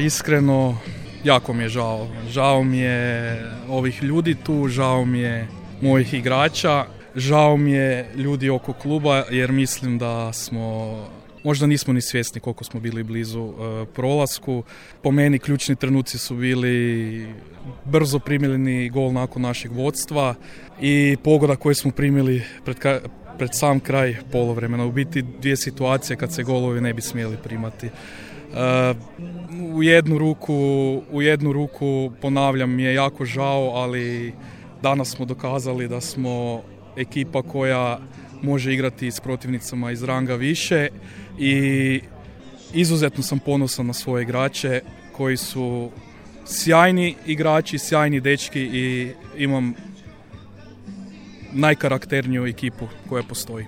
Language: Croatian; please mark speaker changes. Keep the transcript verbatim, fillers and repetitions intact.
Speaker 1: iskreno, jako mi je žao. Žao mi je ovih ljudi tu, žao mi je mojih igrača, žao mi je ljudi oko kluba jer mislim da smo, možda nismo ni svjesni koliko smo bili blizu uh, prolasku. Po meni ključni trenuci su bili brzo primljeni gol nakon našeg vodstva i pogoda koju smo primili pred, ka- pred sam kraj poluvremena. U biti dvije situacije kad se golovi ne bi smjeli primati. Uh, u jednu ruku, u jednu ruku ponavljam mi je jako žao, ali danas smo dokazali da smo ekipa koja može igrati s protivnicama iz ranga više i izuzetno sam ponosan na svoje igrače koji su sjajni igrači, sjajni dečki i imam najkarakterniju ekipu koja postoji.